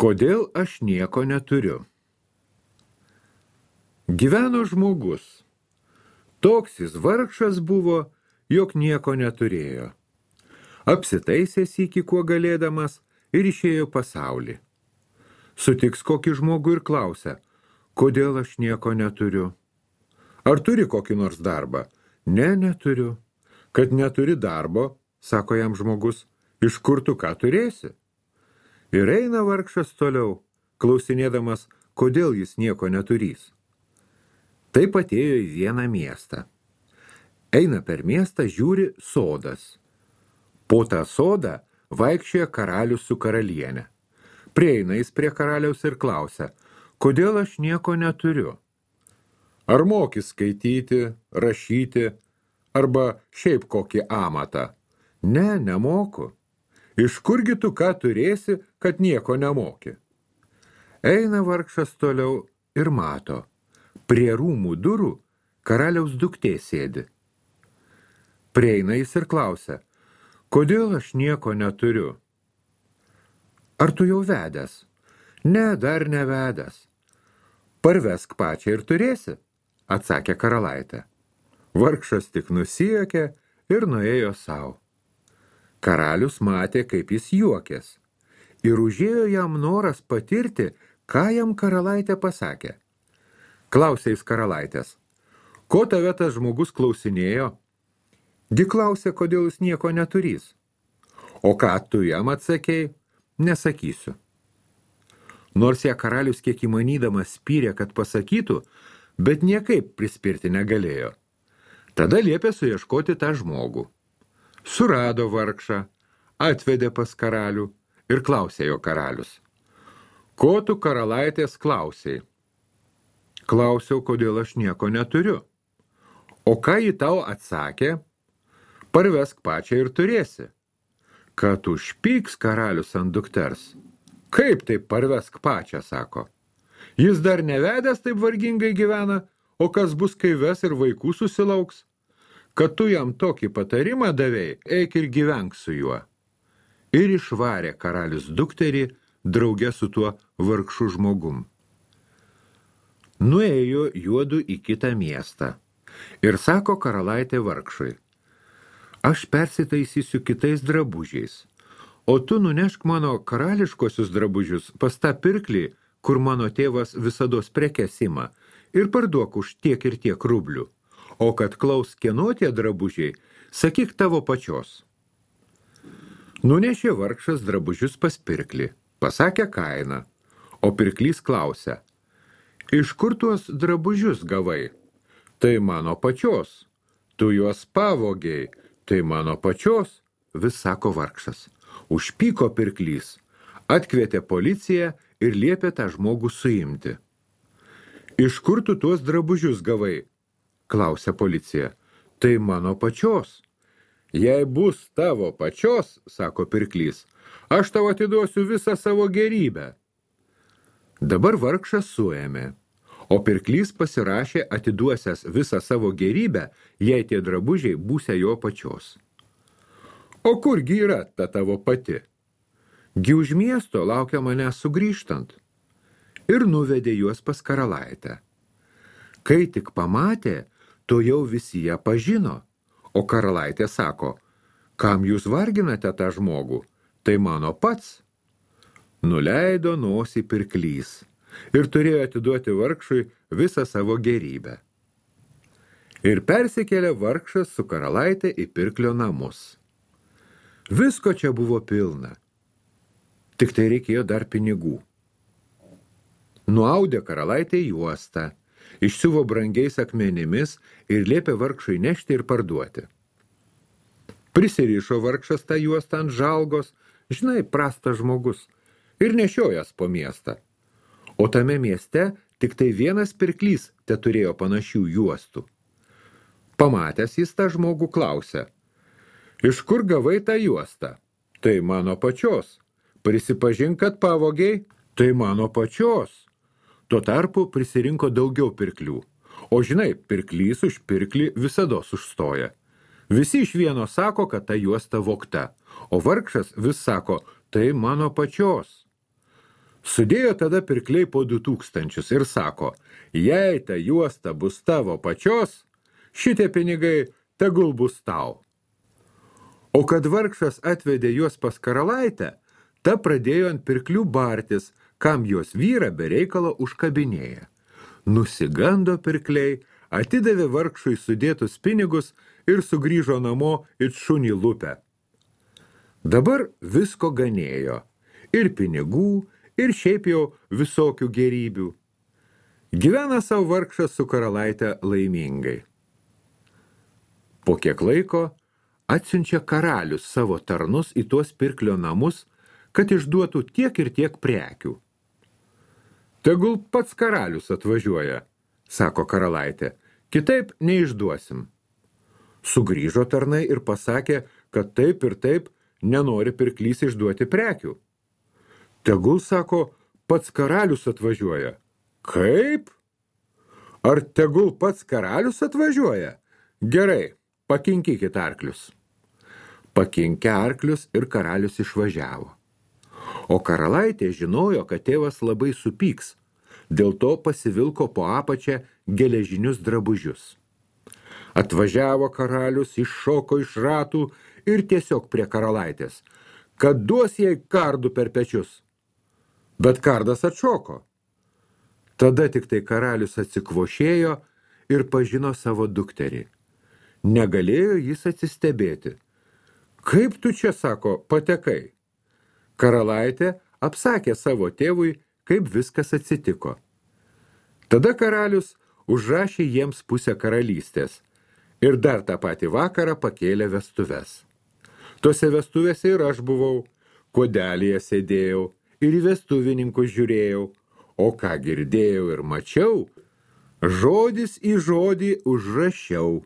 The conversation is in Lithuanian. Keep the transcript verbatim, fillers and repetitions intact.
Kodėl aš nieko neturiu? Gyveno žmogus. Toks jis vargšas buvo, jog nieko neturėjo. Apsitaisęs iki kuo galėdamas ir išėjo pasaulį. Sutiks kokį žmogų ir klausia, kodėl aš nieko neturiu. Ar turi kokį nors darbą? Ne, neturiu. Kad neturi darbo, sako jam žmogus, iš kur tu ką turėsi? Ir eina vargšas toliau, klausinėdamas, kodėl jis nieko neturys. Taip atėjo į vieną miestą. Eina per miestą, žiūri sodas. Po tą sodą vaikščioja karalius su karaliene. Prieina jis prie karaliaus ir klausia, kodėl aš nieko neturiu? Ar moki skaityti, rašyti, arba šiaip kokį amatą? Ne, nemoku. Iš kurgi tu ką turėsi, kad nieko nemoki? Eina vargšas toliau ir mato. Prie rūmų durų karaliaus duktė sėdi. Prieina jis ir klausia, kodėl aš nieko neturiu? Ar tu jau vedęs? Ne, dar nevedęs. Parvesk pačią ir turėsi, atsakė karalaitė. Vargšas tik nusijuokė ir nuėjo savo. Karalius matė, kaip jis juokės, ir užėjo jam noras patirti, ką jam karalaitė pasakė. Klausė jis karalaitės, ko tave tas žmogus klausinėjo? Gi klausė, kodėl jis nieko neturys. O ką tu jam atsakei, nesakysiu. Nors ją karalius kiek įmanydamas spyrė, kad pasakytų, bet niekaip prispirti negalėjo. Tada liepė suieškoti tą žmogų. Surado vargšą, atvedė pas karalių ir klausė jo karalius. Ko tu karalaitės klausei? Klausiau, kodėl aš nieko neturiu. O ką ji tau atsakė? Parvesk pačią ir turėsi. Kad užpyks karalius ant dukters. Kaip taip parvesk pačią, sako. Jis dar nevedęs taip vargingai gyvena, o kas bus, kai ves ir vaikų susilauks? Kad tu jam tokį patarimą davei, eik ir gyvenk su juo. Ir išvarė karalius dukterį drauge su tuo vargšu žmogum. Nuėjo juodu į kitą miestą ir sako karalaitė vargšui, aš persitaisysiu kitais drabužiais, o tu nunešk mano karališkosius drabužius pas tą pirklį, kur mano tėvas visados prekes ima, ir parduok už tiek ir tiek rublių, o kad klaus kieno tie drabužiai, sakyk tavo pačios. Nunešė vargšas drabužius pas pirklį, pasakė kainą, o pirklys klausia, iš kur tuos drabužius gavai? Tai mano pačios. Tu juos pavogiai. Tai mano pačios, vis sako vargšas. Užpyko pirklys. Atkvietė policiją ir liepė tą žmogų suimti. Iš kur tu tuos drabužius gavai? Klausia policija. Tai mano pačios. Jei bus tavo pačios, sako pirklys, aš tau atiduosiu visą savo gerybę. Dabar vargšas suėmė, o pirklys pasirašė atiduosias visą savo gerybę, jei tie drabužiai būsia jo pačios. O kurgi yra ta tavo pati? Gi už miesto laukia mane sugrįžtant. Ir nuvedė juos pas karalaitę. Kai tik pamatė, to jau visi ją pažino, o karalaitė sako, kam jūs varginate tą žmogų? Tai mano pats. Nuleido nosį pirklys ir turėjo atiduoti vargšui visą savo gerybę. Ir persikėlė vargšas su karalaitė į pirklio namus. Visko čia buvo pilna. Tik tai reikėjo dar pinigų. Nuaudė karalaitė juostą, išsiuvo brangiais akmenimis ir liepė vargšui nešti ir parduoti. Prisirišo vargšas tą juostą ant žalgos, žinai, prastas žmogus, ir nešiojas po miestą. O tame mieste tik tai vienas pirklys te turėjo panašių juostų. Pamatęs jis tą žmogų klausė, iš kur gavai tą juostą? Tai mano pačios. Prisipažink, kad pavogiai? Tai mano pačios. Tuo tarpu prisirinko daugiau pirklių. O žinai, pirklys už pirklį visados užstoja. Visi iš vieno sako, kad ta juosta vogta, o vargšas vis sako, tai mano pačios. Sudėjo tada pirkliai po du tūkstančius ir sako, jei ta juosta bus tavo pačios, šitie pinigai tegul bus tau. O kad vargšas atvedė juos pas karalaitę, ta pradėjo ant pirklių bartis, kam jos vyrą be reikalo užkabinėja. Nusigando pirkliai, atidavė vargšui sudėtus pinigus ir sugrįžo namo it šunį lupę. Dabar visko ganėjo, ir pinigų, ir šiaip jau visokių gerybių. Gyvena savo vargšas su karalaitė laimingai. Po kiek laiko atsiunčia karalius savo tarnus į tuos pirklio namus, kad išduotų tiek ir tiek prekių. Tegul pats karalius atvažiuoja, sako karalaitė, kitaip neišduosim. Sugrįžo tarnai ir pasakė, kad taip ir taip nenori pirklys išduoti prekių. Tegul, sako, pats karalius atvažiuoja. Kaip? Ar tegul pats karalius atvažiuoja? Gerai, pakinkykit arklius. Pakinkė arklius ir karalius išvažiavo. O karalaitė žinojo, kad tėvas labai supyks, dėl to pasivilko po apačią geležinius drabužius. Atvažiavo karalius, iššoko iš ratų ir tiesiog prie karalaitės, kad duos jai kardų per pečius. Bet kardas atšoko. Tada tik tai karalius atsikvošėjo ir pažino savo dukterį. Negalėjo jis atsistebėti. Kaip tu čia, sako, patekai? Karalaitė apsakė savo tėvui, kaip viskas atsitiko. Tada karalius užrašė jiems pusę karalystės ir dar tą patį vakarą pakėlė vestuves. Tose vestuvėse ir aš buvau, kodelyje sėdėjau ir į vestuvininkus žiūrėjau, o ką girdėjau ir mačiau, žodis į žodį užrašiau.